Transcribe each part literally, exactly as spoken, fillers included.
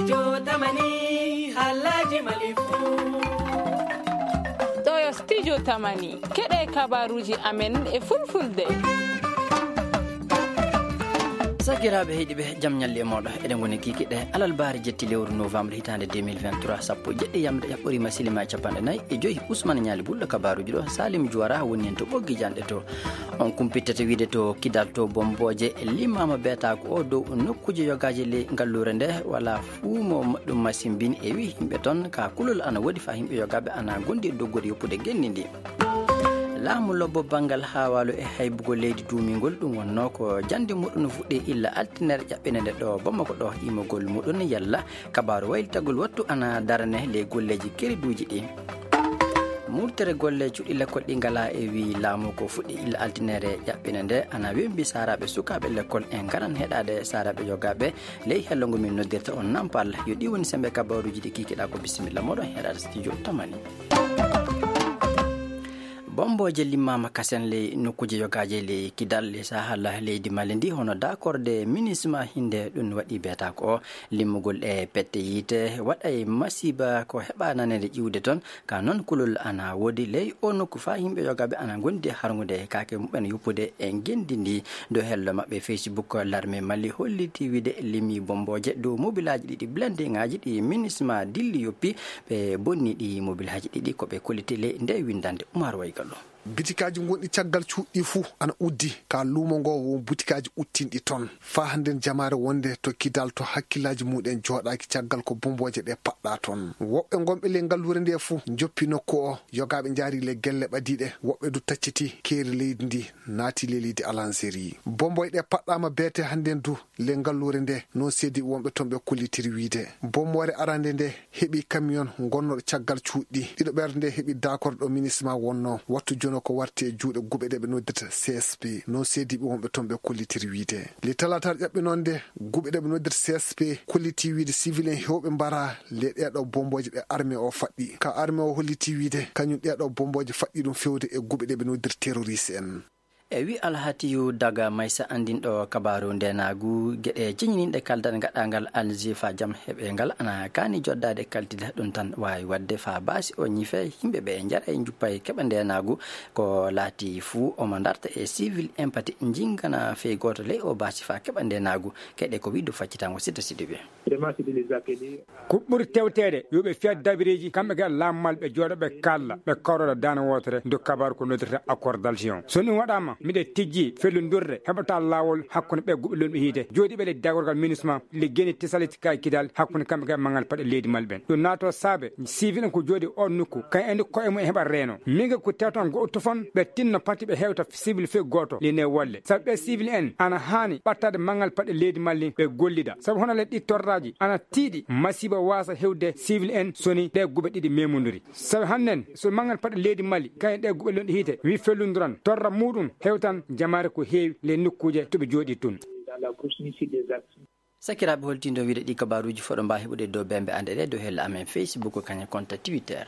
Jotamani, Alhaji Malifu. Ɗo yo Studio Tamani, keɗe kabaruji amen e fulfulde. Sakiraaɓe heɗiiɓe, jam ñalli e mooɗo. Eɗen ngoni kikiɗe alarba jetti lewru novembre hitaande deux mille vingt-trois, sappo e jeɗɗi yamre, yaɓɓoriima silima e capanɗe nayi e joyi. Usman Ñaali Bulɗo kabaruji ɗo, Salim Juwara woni heen to ɓoggi janɗe to. On kumpittata wiide to Kidal to Bombooje limaama beetaako o dow nokkuuje yogaaji ley ngalluure nde, wala fuu mo moƴƴum masimbin e wi yimɓe toon ka kulol ana woodi faa yimɓe yogaaɓe ana gondi e doggude yoppude genndi ndi. Laamu lobbo banngal haawaalu e haybugol leydi duumingol, ɗum wonnoo ko jannde muɗum fuɗɗi illa altine ere ƴaɓɓinde nde ɗo Bamako ɗo, imogol muɗum yalla kabaaru waylitagol wattu ana darane ley golleeji keriduuji ɗi. Murtere golle cuɗɗi lekkol ɗi ngalaa e wii laamu ko fuɗɗi illa altine ere ƴaɓɓinde nde ana wembi saaraaɓe sukaaɓe lekkol e ngaran heɗaade saaraaɓe yogaaɓe ley hello ngo min noddirta on Nampal. Yo ɗi woni sembe kabaruuji ɗi kikiɗaa ko bisimilla moɗon heɗaade studio Tamani. Bombooje limaama kasen ley nokkuuje yogaaje ley Kidal e sahal leydi Mali ndi, hono daakorde minisma hinde ɗum waɗi beetaako o. Limmugol e pette yiite waɗay masiiba ko heɓa nanede ƴiwde toon. Ka noon kulol ana woodi ley o nokku faa yimɓe yogaaɓe ana gondi e harngude kaake muɓɓen yoppude e ngenndi ndi. Dow hello maɓɓe Facebook, Larme Mali holliti wiide limi bombooje dow mobilaaji ɗiɗi blindingaaji ɗi minisma dilli yoppi. Ɓe bonni ɗi mobilaaji ɗiɗi ko ɓe kolliti ley nde winndande Umar Waygallo. Bitikaaji gonɗi caggal cuuɗi fuu ana uddi ka luumo ngo won butikaaji uttinɗi toon. Faa hannden jamaare wonde to Kidal to hakkillaaji muɗen jooɗaaki caggal ko bombooje ɗe paɗɗa toon. Woɓɓe gonɓe ley ngalluure nde fuu njoppi nokku o, yogaaɓe njaari ley gelle ɓadiiɗe, woɓɓe du tacciti keeri leydi ndi, naati ley leydi Alanseeri. Bombooje ɗe paɗɗaama beete hannden du ley ngalluure nde, no seediiɓe wonɓe toon ɓe kollitiri wiide. Bommoore arande nde heɓi kamiyon gonnoɗo caggal cuuɗi ɗiɗo ɓerde nde heɓi daakorde ɗo minisma wonno wattu jono ko warti e juuɗe guɓe ɗe ɓe noddirta C S P, no seediiɓe wonɓe toon ɓe kollitiri wiide. Le talaataare ƴaɓɓi noon nde guɓe ɗe ɓe noddirta C S P kolliti wiide civil en hewɓe mbara le ɗeɗo bombooje ɗe armée o faɗɗi. Ka armée o holliti wiide kañum ɗeɗo bombooje faɗɗi ɗum fewde e guɓe ɗe ɓe noddirta terroriste en. E wi Alhatiyu Daga Maysa anndinɗo kabaaru ndenaagu, geɗe ciñininɗe kaldal gaɗangal Alger faa jam heɓe ngal ana kaani joddaade kaltida ɗum tan waawi waɗde faa baasi o ñife yimɓe ɓe njara e njuppa e keɓa ndenaagu ko laati fuu omo darta e civil empati njingana fey gooto ley o baasi faa keɓa ndenaagu. Keɗe ko wiɗo faccitango sita siɗi ɓe. Ko ɓuri tewteede yo ɓe fiyat dabireeji kamɓe kala laamu mal ɓe jooɗo ɓe kalla ɓe kawroɗa daana wootere ndu kabaru ko noddirta accord d'Alger on. So ɗum waɗaama miɗe tijji fellundurde heɓata laawol hakkunde ɓe guɓe lonɓe hiite jooɗiiɓe le dagorgal minisma le geni tesaliti ka kidal hakkunde kamɓe kala mangal paɗe leydi mal ɓen ɗum naato saabe civil en ko jooɗi on nokku kay andi koye mum e heɓa reeno minga ko tewtan goɗo tufon ɓe tinno pati ɓe hewta civil fe gooto le ne wolle sabu ɓe civil en ana haani ɓattade mangal paɗe leydi malli ɓe gollida sabu hono le ɗi torraji ana tiiɗi masiiba waasa hewde civil en soni ɗe guɓe ɗiɗi memodiri sabu hannden so mangal paɗe leydi mali kañum ɗe guɓe lonɗi hiite wi fellundiran torra muɗum hewtan jamaare ko heewi le nokkuuje to ɓe jooɗi tun. Sakiraaɓe holtindo wiide ɗi kabaruuji foɗo mba heɓude dow bembe ande ɗe dow hella amen Facebook kañum konta Twitter.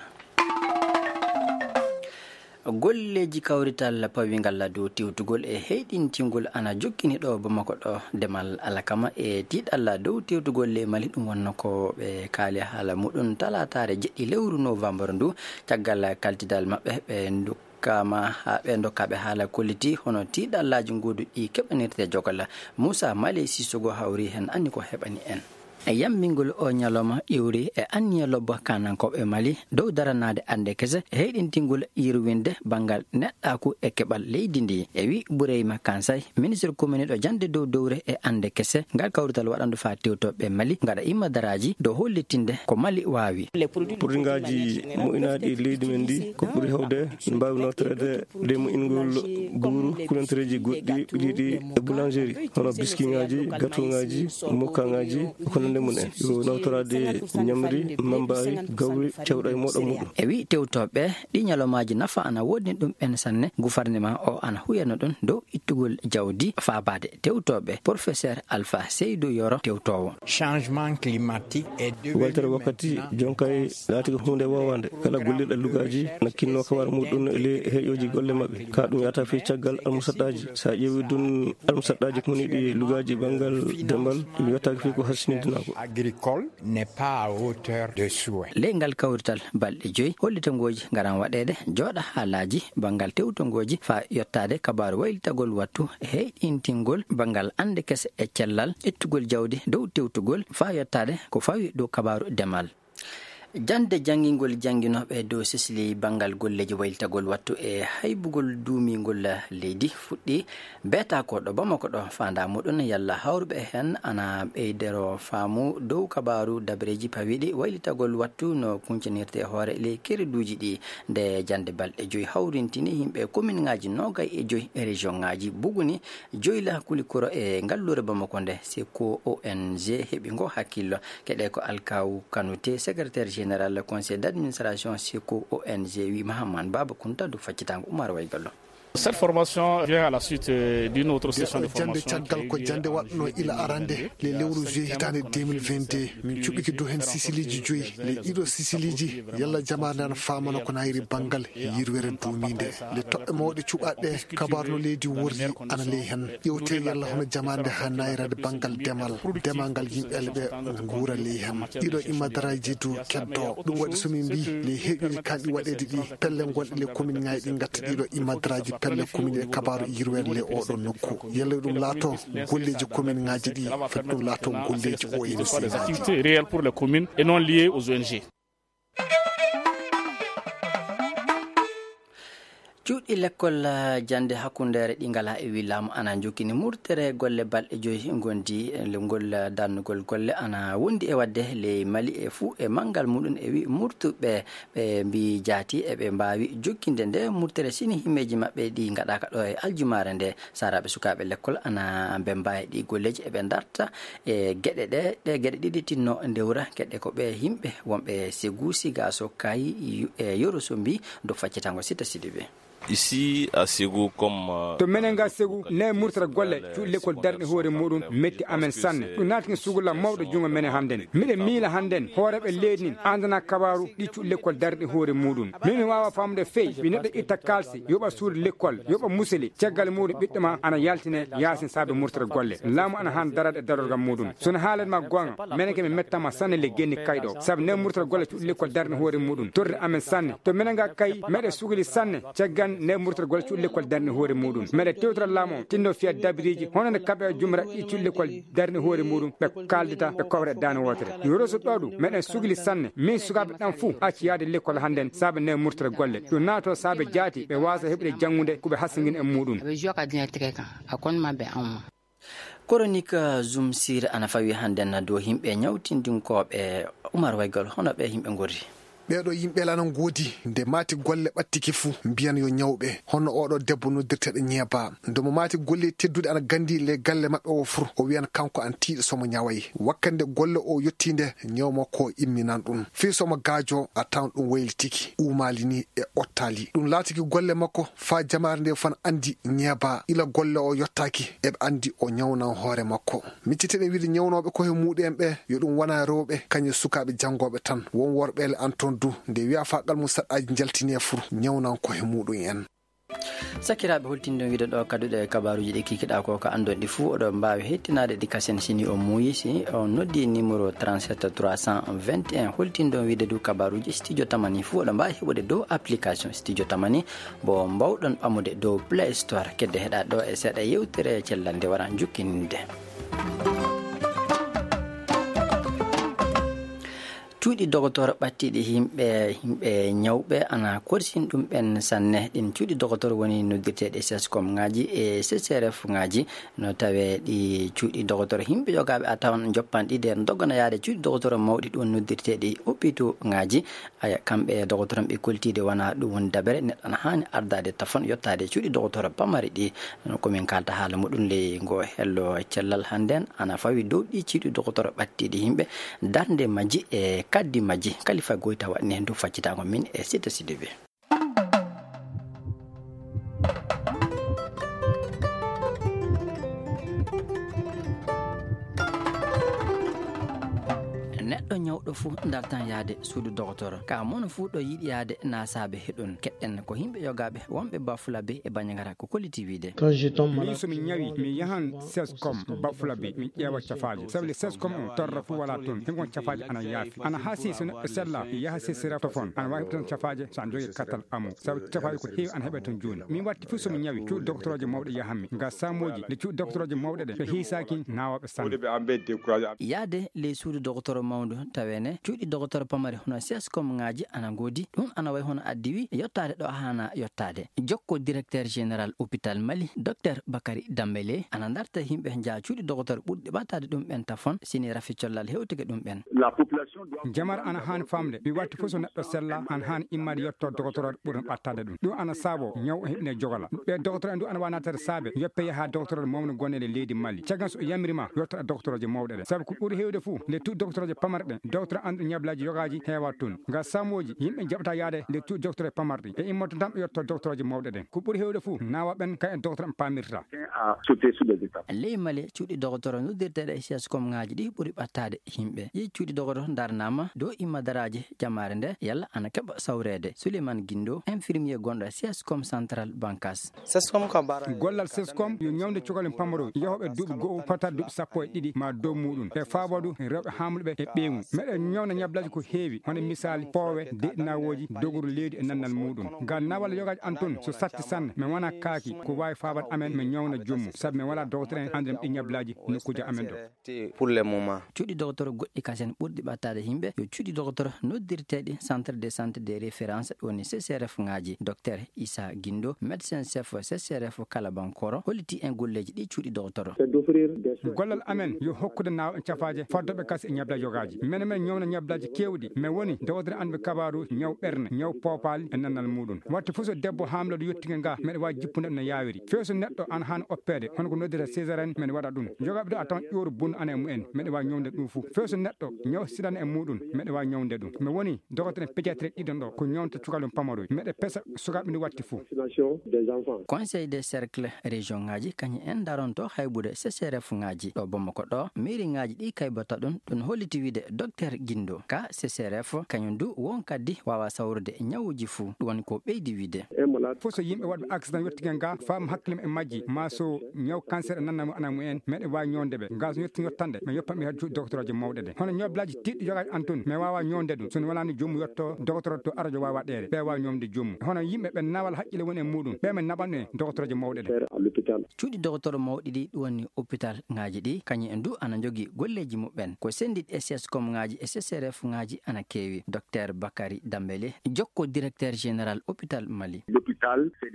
Golleeji kawrital pawingal dow tewtugol e heyɗintingol ana jokkini ɗo Bamako ɗo demal alakama e tiiɗalla dow tewtugol le Mali ɗum wonno ko ɓe kaali haala muɗum talaataare jeɗɗi lewru novembre ndu caggal kaltidal maɓɓe ɓe ndokkama haa ɓe ndokkaaɓe haala kolliti hono tiiɗallaaji nguuduɗi keɓanirte jogal. Moussa Maley Sissogo hawri heen anni ko heɓani en. E yammbingol o ñalawma iwri e anniya lobbo kanankooɓe Mali dow daranaade annde kese e heyɗintingol yirwinde banngal neɗɗaaku e keɓal leydi ndi. E wi Bureyma Kansay, ministre komini ɗo jannde dow dowre e annde kese, ngal kawrital waɗandu faa tewtooɓe Mali ngaɗa imma daraaji dow hollitinde ko Mali waawi. Produitgaaji moƴƴinaaɗi e leydi men ndi ko ɓuri heewde ne mbaawi nawtoreede ley moƴƴingol buuru, kulantereeji goɗɗi ɓiɗiiɗi e boulangerie, hono biskiŋaaji, gatoŋaaji, mokkaŋaaji, e ko nanndi mum en. Yo nawtoraade ñamri, mambaari, gawri, cewɗa e mooɗa muɗum. E wi tewtooɓe, ɗi ñalawmaaji nafa ana woodni ɗum en sanne. Gufarnema o ana huyana ɗum dow ittugol jawdi faabaade tewtooɓe. Professeur Alpha Seydou Yoro tewtoowo. Changement climatique est devenu Weltere wakkati maintenant jonkay laati ko huunde woowaande. Kala gollirɗo lugaaji na kinnoo kabaru muɗum e ley heƴooji golle maɓɓe. Ka ɗum yahata fii caggal almusaɗɗaaji. So a ƴeewi ɗum almusaɗɗaaji ko woni ɗi lugaaji banngal dembal, ɗum yettaaki fii ko hasinidina. agricole n'est pas à hauteur de souhait. Ley ngal kawrital balɗe joyi hollitangooji ngaran waɗeede jooɗa haalaaji banngal tewtongooji faa yottaade kabaaru waylitagol wattu heyɗintingol banngal annde kese e cellal ƴettugol jawdi dow tewtugol faa yottaade ko fawi dow kabaaru demal. Jannde janngingol jannginooɓe dow sisli banngal golleeji waylitagol wattu e haybugol duumingol leydi fuɗɗii. Beeta ko ɗo Bamako ɗo faandaa muɗum yalla hawruɓe heen ana ɓeydoro faamu dow kabaaru dabareeji pawiiɗi waylitagol wattu no kuñcanirtee hoore ley kereduuji ɗi. Nde jannde balɗe joyi hawrintini yimɓe kominŋaaji noogay e joyi e région ŋaaji buguni joyla kuli kuro e ngalluure Bamako nde seko O N G heɓi ngo hakkillo. Keɗe ko Alkaw Kanute, secrétaire général conseil d'administration seko O N G wi Mahaman Baba Kunta du faccitango Umar Waygallo. Cette formation vient à la suite euh, d'une autre session de formation. Jannde caggal ko jannde waɗno ila arande le lewru juillet hitaande deux mille vingt-deux. Min cuɓiki du heen sisiliiji joyi. Le ɗiɗo sisiliiji yalla jamaare nde ana faamana ko nayri banngal yirwere duumiinde. Le toɓɓe mawɗe cuɓaaɗe kabaaru no leydi worri ana ley heen. Ƴewte yalla hono jamaande haa nayrade banngal demal, demal ngal yimɓe ɓe nguura ley heen. Ɗiɗo immadaraaji du keddo. Ɗum waɗi so min mbii ley heƴuɗi kanɗi waɗeede ɗi pelle gonɗe le commune ŋaaji ɗi ngatta ɗiɗo immadaraaji pelle commune e kabaaru yirweede le oɗo nokku. Yalla ɗum laato golleeji commune ŋaaji ɗi foti ɗum laato golleeji O N G ŋaaji. Activités réelles pour les communes et non liées aux O N G. Cuuɗi lekkol jannde hakkundeere ɗi ngalaa e wi laamu ana njokkini murtere golle balɗe joyi ngondi ngol darnugol golle ana wondi e waɗde ley Mali e fuu e manngal muɗum e wi murtuɓe ɓe mbi jaati eɓe mbaawi jokkinde nde murtere sini himmeeji maɓɓe ɗi ngaɗaaka ɗo e aljumaare nde. Saaraaɓe sukaaɓe lekkol ana mbemba e ɗi golleeji eɓe darta e geɗe ɗe ɗe geɗe ɗiɗi tinno ndewra geɗe ko ɓe yimɓe wonɓe segu sigaso kayi e yoroso mbi do faccitango sita sidiɓe. Ici à Ségou comme euh, to menen ga Ségou ne murtata golle cuuɗi lekkol darɗi hoore muɗum metti amen sanne ɗum naatini sugula mawɗo jungo menen hannden miɗe miila hannden hooreɓe leydi nin andana kabaru ɗi cuuɗi lekkol darɗi hoore muɗum min mi wawa famude fey wi neɗɗo itta kalsi yoɓa suudu lekkol yoɓa museli caggal muɗum ɓiɗɗo ma ana yaltine yasin saabe murtata golle laamu ana han darade e darorgal muɗum sono haalani ma gonga menen ke mi mettama sanne le genni kayɗo saabu ne murtata golle cuuɗi lekkol darni hoore muɗum torri amen sanne to menen ga kay meɗe sugli sanne caggan ne murtata golle cuuɗi lekkol darni hoore muɗum meɗe tewtora laamu o tinno fiya dabiriji hono nde kaɓe jumra ɗi cuuɗi lekkol darni hoore muɗum ɓe kaldita ɓe kowre dane wotere yoroso ɗo ɗum meɗen sugli sanne min sukaɓe ɗan fuu acci yaade lekkol hannden saabe ne murtata golle ɗum naato saabe jaati ɓe wasa heɓude janngude ko ɓe hasingin e muɗum. Aɓe juwa ka dina tege kan a kon maɓɓe an ma. Koronik zum sir ana fawi hannden dow yimɓe ñawtindinkooɓe umar waygol hono ɓe yimɓe ngorri. Ɓeeɗo yimɓe lana ngoodi nde maati golle ɓattike fuu mbiyan yo ñawɓe hono oɗo debbo noddirteeɗo ñeeba nde mo maati golle tedduɗe ana gandi le galle maɓɓe o fur o wiyan kanko an tiiɗo somo ñaway wakkande golle o yotti nde ñaw makko o imminan ɗum fii somo gaajo a tawan ɗum waylitiki umaali ni e ottaali ɗum laatiki golle makko faa jamaare nde fan andi ñeeba ila golle o yottaaki eɓe andi o ñawnan hoore makko. Micciteɗen wiide ñawnooɓe kohe muuɗu'en ɓe yo ɗum wona rewɓe kañum e sukaaɓe janngooɓe tan. Won worɓeele an toon du nde wiyaa faa qalmu saɗɗaaji njaltinee fur ñawnan kohe muuɗum en. Sakiraaɓe holtinde on wiide ɗo kaduɗe kabaruuji ɗi kikiɗaa ko ka anndon ɗi fuu oɗo mbaawi hettinaade ɗi kasen sini o muuyi si on noddi numéro trente-sept trois cent vingt et un holtinde on wiide du kabaruuji studio tamani fuu oɗo mbaawi heɓude dow application studio tamani Mbo mbaawɗon ɓamude dow Play Store. Kedde heɗaa ɗo e seeɗa yewtere cellal nde wara jukkininde. Cuuɗi dogotooro ɓattiiɗi yimɓe yimɓe ñawɓe ana korsin ɗum ɓen sanne. Ɗin cuuɗi dogotooro woni noddirteeɗi sescom ŋaaji e C C R F ŋaaji. No tawee ɗi cuuɗi dogotooro yimɓe yogaaɓe a tawan joppanɗi nder dogana yaade cuuɗi dogotooro mawɗi ɗum noddirteeɗi hôpitaux ŋaaji. Aya kamɓe dogotoron ɓe koltiide wona ɗum woni dabere neɗɗo ana haani ardaade tafon yottaade cuuɗi dogotoro pamari ɗi. Komin kalta haala muɗum ley ngo hello cellal hannden ana fawi dow ɗi cuuɗi dogotoro ɓattiiɗi yimɓe darnde majji e kaddi majji kalifa goyta waɗni heen dow faccitango min e sita sidibe. Neɗɗo ñawɗo fuu dartan yahde suudu dogotoro. Ka mono fuu ɗo yiɗi yahde naasaaɓe heɗon. Keɗɗen ko yimɓe yogaaɓe wonɓe Bafulabe e Banjagara ko kolliti wiide. Min so mi ñawi, mi yahan sescom Bafulabe, mi ƴeewa cafaaje. Sabu le sescom on torra fuu walaa toon. Hengon cafaaje ana yaafi. Ana hasi so neɗɗo sella, yaha sesira tofon. Ana waawi tan cafaaje so a jogii katal amu. Sabu cafaaje ko heewi ana heɓe toon jooni. Min watti fuu so mi ñawi, cuuɗi dogotoroje mawɗe yahanmi. Nga saamooji, nde cuuɗi dogotoroje mawɗe ɗe, ɓe hiisaaki naawaaɓe sanne. Yaade ley suudu dogotoro mawndu, taweene cuuɗi dogotoro pamari hono sescom ŋaaji ana ngoodi. Ɗum ana wayi hono addiwi yottaade ɗo haana yottaade. Jokko directeur général hôpital Mali, Docteur Bakary Dambélé, ana darta yimɓe njaa cuuɗi dogotoro ɓurɗi ɓattaade ɗum ɓen tafon, sini rafi collal hewtike ɗum ɓen. Jamar ana haani famde, mi watti fof so neɗɗo sella, ana haani immaade yetto dogotoro ɓurɗo ɓattaade ɗum. Ɗum ana saabo ñaw o heɓine jogola. Ɓe dogotoro en du ana wawi naatade saabe, yoppe yaha dogotoro mawno gonne e leydi Mali. Caggal so o yamiri ma, yottoɗa dogotoroje mawɗe ɗe. Sabu ko ɓuri heewde fof, nde tu dogotoroje pamarɗe, dogotoro anduɗo ñablaaji yogaaji heewa toon. Ngal saamooji, yimɓe jaɓata yaade nde tu dogotoroje pamarɗe. E immoto tan ɓe yotto dogotoroje mawɗe ɗen. Ko ɓuri heewde fof, naawa ɓen kay en dogotoro en paamirta. Ley Mali, cuuɗi dogotoro noddirteeɗe e sescom ŋaaji ɗi ɓuri ɓattaade yimɓe. Ɗi cuuɗi dogotoro ndarnaama dow imma daraaje jamaare nde, yalla ana keɓa sawreede. Souleymane Guindo, infirmier gonɗo e sescom central Bankas. Gollal sescom yo ñawde cukalel pamaro yahooɓe duuɓi go'o fota duuɓi sappo e ɗiɗi ma dow muɗum. E faaboodu rewɓe haamluɓe e ɓeyngu. Meɗen ñawna ñablaaji ko heewi, hono misaali poowe, deɗinawooji, doguru leydi e nannal muɗum. Ngal nawal yogaaji an toon, so satti sanne, mi wona kaaki, ko waawi faabade amen, mi ñawna jommu. Sabu mi wala dogotoro en anndira ɗi ñablaaji nokkuuji amen ɗo. Pour le moment. Cuuɗi dogotoro goɗɗi kasen ɓurɗi ɓattaade yimɓe, yo cuuɗi dogotoro noddirteeɗi centre de santé de référence, woni C C R F ŋaaji. Docteur Issa Guindo, médecin chef C C R F Kalabankoro, holliti en golleeji ɗi cuuɗi dogotoro. Gollal amen yo hokkude naawɓe cafaaje foddoɓe kas e ñablaaji yogaaji. Mene men ñawna ñablaaji keewɗi. Mi woni dogotoro anduɓe kabaaru ñaw ɓerne, ñaw poopaali e nannal muɗum. Watte fof so debbo haamloɗo yottike nga, meɗa waawi jippude no yaawiri. Few so neɗɗo ana haani oppeede, hono ko noddira césarienne, meɗa waɗa ɗum. Yogaaɓe ɗo a tawan ƴooru bunɗo ana e mumen, meɗa waawi ñawde ɗum fof. Few so neɗɗo ñaw sidana e muɗum, meɗa waawi ñawde ɗum. Mi woni dogotoro en pédiatrie ɗiɗon ɗo, ko ñawnta cukalel pamaroy. Meɗa pesa sukaaɓe ndi watti fof. Conseil des cercles région ŋaaji kañum en daronto haybude C C R F ŋaaji. Ɗo Bamako ɗo, mairie ŋaaji ɗi kaybata ɗum, ɗum holliti wiide Docteur Guindo. Ka C C R F, kañum du won kaddi waawa sawrude ñawuuji fof. Ɗum woni ko ɓeydi wiide. Fof so yimɓe waɗɓe accident yottike nga, faam hakkille e majji, ma so ñaw cancer e nannal mu ana mumen, meɗe waawi ñawde ɓe. Ngal so yotti yottande, mi yoppan ɓe hade cuuɗi dogotoroje mawɗe ɗe. Hono ñablaaji tiiɗɗi yogaaji an toon, mi waawa ñawde ɗum. So mi walaani jommu yotto dogotoro to arajo waawa ɗeere, ɓe waawa ñawde jommu. Hono yimɓe ɓe nawal haqqille woni e muɗum, ɓe mi naɓan e dogotoroje mawɗe ɗe. Cuuɗi dogotoro mawɗi ɗi, ɗum woni hôpital ŋaaji ɗi, kañum en du ana jogii golleeji muɓɓen. Ko senndiɗi e sescom ŋaaji e C C R F ŋaaji ana keewi. Docteur Bakary Dambélé, jokko directeur général hôpital Mali.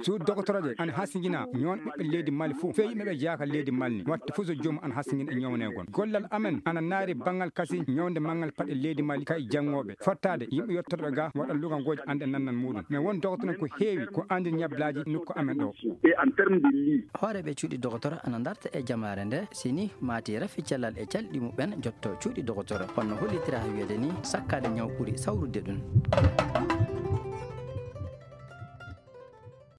Suudu dogotoroje ana hasingina ñoon ɓiɓɓe leydi Mali fof. Fee yimɓe ɓe jeyaa ka leydi Mali ni. Watte fof so joomum ana hasingina e ñawnegol. Gollal amen ana naari banngal kasi ñawnde manngal paɗe leydi Mali kay janngooɓe. Fottaade yimɓe yottoɗo ɓe ga waɗa lugangooji annde nannal muɗum. Mais won dogotoro ko heewi ko anndi ñablaaji nokku amen ɗo. Hooreeɓe cuuɗi dogotoro ana ndarta e jamaare nde, sini maati rafi cellal e calɗi muɓɓen jotto cuuɗi dogotoro. Honno hollitira wiyeede ni, sakkaade ñaw ɓuri sawrude ɗum.